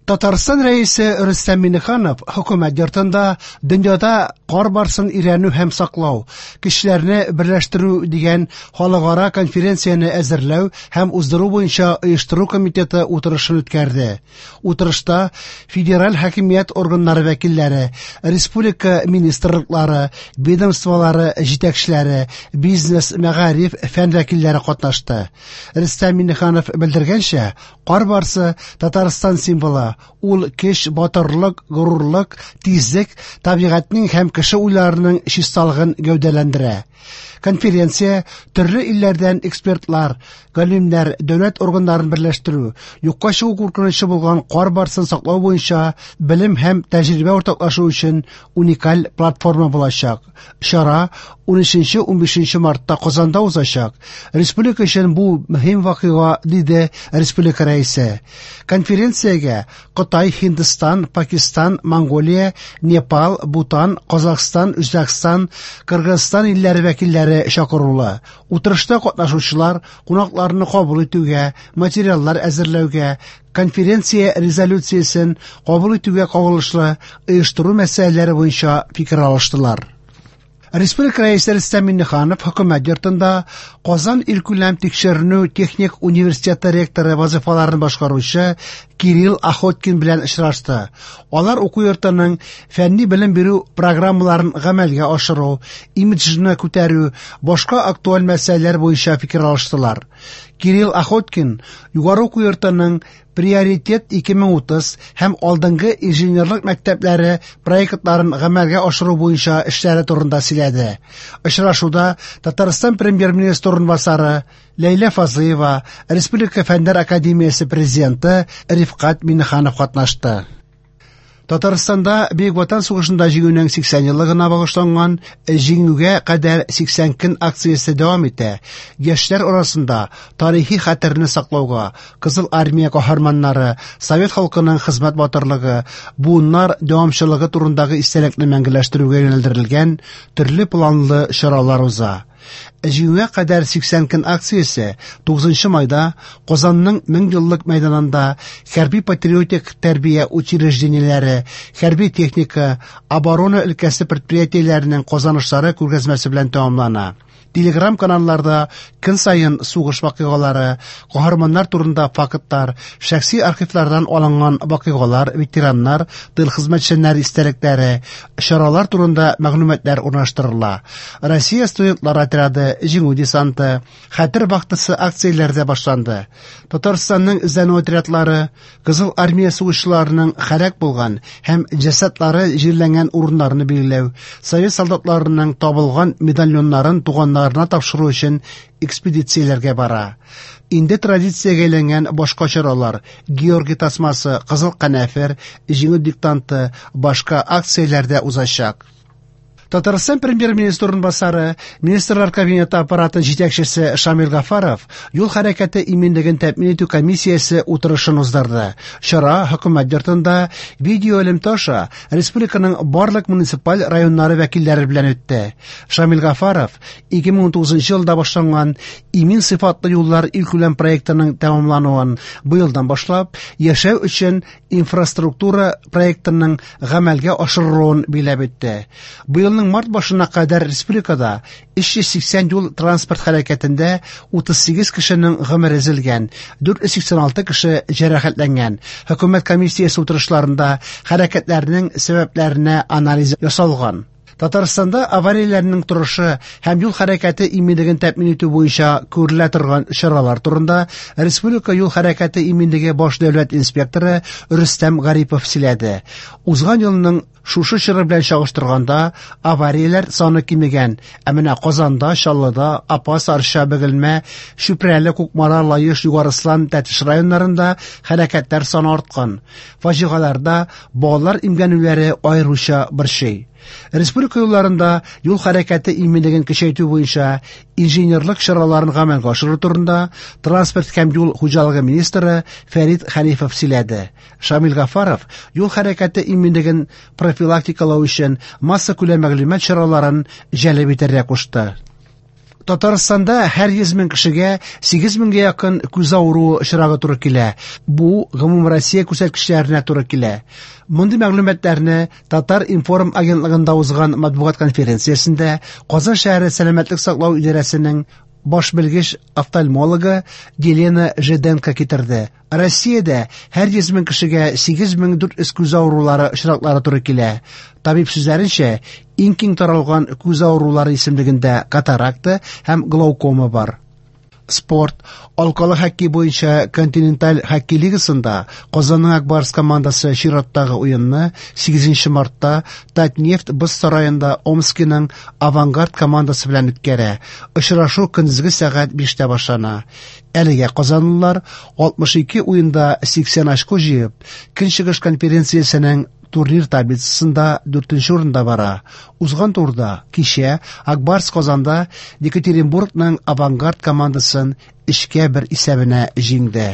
Татарстан Рәисе Рөстәм Миңнеханов Хөкүмәт йортында дөньяда кар барсын өйрәнү һәм саклау, көчләрне берләштерү дигән халыкара конференцияне әзерләү һәм уздыру буенча оештыру комитеты утырышын үткәрде. Утырышта федераль хакимият органнары вәкилләре, республика министрлыклары, ведомстволары җитәкчеләре, бизнес, мәгариф, фән вәкилләре катнашты. Рөстәм Миңнеханов белдергәнчә, кар барсы Татарстан символы, ул көч, батырлык, горурлык, тизлек, табигатьнең һәм кеше уйларының чисталыгын гәүдәләндерә. Конференция төрле илләрдән экспертлар, галимнәр, дәүләт органнарын берләштерү, юкка чыгу куркынычы булган кар барсын саклау буенча белем һәм тәҗрибә уртаклашу өчен уникаль платформа булачак. Чара 13-15 мартта Казанда узачак. Республика өчен бу мөһим вакыйга, диде республика рәисе. Конференциягә Кытай, Һиндстан, Пакистан, Монголия, Непал, Бутан, Казахстан, Үзбәкстан, Кыргызстан илләре вәкилләре чакырулы. Утырышта катнашучылар кунакларны кабул итүгә, материаллар әзерләүгә, конференция резолюциясен кабул итүгә кагылышлы оештыру мәсьәләләре буенча фикер алыштылар. Республика Рәисе Рөстәм Миңнеханов Хөкүмәт йортында Казан илкүләм тикшеренү техник университеты ректоры вазифаларын башкаручы Кирилл Охоткин белән очрашты. Алар уку йортының фәнни белем бирү программаларын гамәлгә ашыру, имиджны күтәрү, башка актуаль мәсьәләләр буенча фикер алыштылар. Кирилл Охоткин югары уку йортының Приоритет 2030 һәм алдынгы инженерлык мәктәпләре проектларын гамәлгә ашыру буенча эшләре турында сөйләде. Очрашуда Татарстан Премьер-министры урынбасары Ләйлә Фазлыева, Республика Фәннәр академиясе президенты Рифкать Миңнеханов катнашты. Татарстанда Бөек Ватан сугышында җиңүнең 80 еллыгына багышланган Җиңүгә кадәр 80 көн акциясе дәвам итә. Яшьләр арасында тарихи хәтерне саклауга, Кызыл Армия каһарманнары, совет халкының хезмәт батырлыгы, буыннар дәвамчылыгы турындагы истәлекне мәңгеләштерүгә юнәлдерелгән төрле планлы чаралар уза. Җиңүгә кадәр 80 көн акциясе 9 майда Казанның Меңьеллык мәйданында хәрби-патриотик тәрбия учреждениеләре, хәрби техника, оборона өлкәсе предприятиеләренең казанышлары күргәзмәсе белән тәмамлана. Телеграм-каналларда көн саен сугыш вакыйгалары, каһарманнар турында фактлар, шәхси архивлардан алынган вакыйгалар, ветераннар, тыл хезмәтчәннәре истәлекләре, чаралар турында мәгълүматлар урнаштырыла. Россия студентлар отряды, Җиңү десанты, Хәтер вахтасы акцияләре дә башланды. Татарстанның эзләнү отрядлары Кызыл армия сугышчыларының һәлак булган һәм җәсадлары җирләнгән урыннарны билгеләү, совет солдатларының табылган медальоннарын туганнарына тапшыру өчен экспедицияләргә бара. Инде традициягә әйләнгән башка чаралар, Георгий тасмасы, Кызыл канәфер, Җиңү диктанты, башка акцияләр дә узачак. Татарстан премьер-министры урынбасары, Министрлар Кабинеты аппараты җитәкчесе Шамил Гафаров юл хәрәкәте иминлеген тәэмин итү комиссиясе утырышын уздырды. Чара хөкүмәт йортында видеоэлемтә аша республиканың барлык муниципаль районнары вәкилләре белән үтте. Шамил Гафаров 2019 елда башланган Имин сыйфатлы юллар илкүләм проектының тәмамлануын, быелдан башлап яшәү өчен инфраструктура проектының гамәлгә ашырылуын билгеләп үтте. Быелның март башына кадәр республикада 380 юл транспорт һәлакәтендә 38 кешенең гомере өзелгән, 486 кеше җәрәхәтләнгән. Хөкүмәт комиссиясе утырышларында һәлакәтләрнең сәбәпләренә анализ ясалган. Татарстанда аварияләрнең торышы һәм юл хәрәкәте иминлеген тәэмин итү буенча күрелә торган чаралар турында Республика юл хәрәкәте иминлеге баш дәүләт инспекторы Рөстәм Гарипов сөйләде. Узган елның шушы чоры белән чагыштырганда аварияләр саны кимегән, ә менә Казанда, Чаллыда, Апас, Арча, Бөгелмә, Чүпрәле, Кукмара, Лаеш, Югары Ослан, Тәтеш районнарында һәлакәтләр саны арткан. Фаҗигаларда балалар имгәнүләре аеруча борчый. Республика юлларында юл хәрәкәте иминлеген көчәйтү буенча инженерлык чараларын гамәлгә ашыру турында транспорт һәм юл хуҗалыгы министры Фәрит Хәнифов сөйләде. Шамил Гафаров юл хәрәкәте иминлеген профилактикалау өчен массакүләм мәгълүмат чараларын җәлеп итәргә кушты. Татарстанда һәр 100 мең кешегә 8 меңгә якын күз авыруы очрагы туры килә. Бу гомумроссия күрсәткечләренә туры килә. Мондый мәгълүматларны Татар-информ агентлыгында узган матбугат конференциясендә Казан шәһәре сәламәтлек саклау идарәсенең баш белгеч офтальмологы Елена Жиденко китерде. Россиядә һәр 100 мең кешегә 8400 күз авырулары очраклары туры килә. Табиб сүзләренчә, иң киң таралган күз авырулары исемлегендә катаракта һәм глаукома бар. Спорт. Алкалы хоккей буенча Континенталь хоккей лигасында Казанның Ак Барс командасы чираттагы уенны 8 мартта Татнефть боз сараенда Омскиның Авангард командасы белән үткәрә. Очрашу көндезге сәгать 5тә башлана. Әлегә казанлылар 62 уенда 80 очко җыеп, Көнчыгыш конференциясенең турнир таблицасында 4нче урында бара. Узган турда кичә Ак Барс Казанда Екатеринбургның Авангард командасын 3-1 исәбенә җиңде.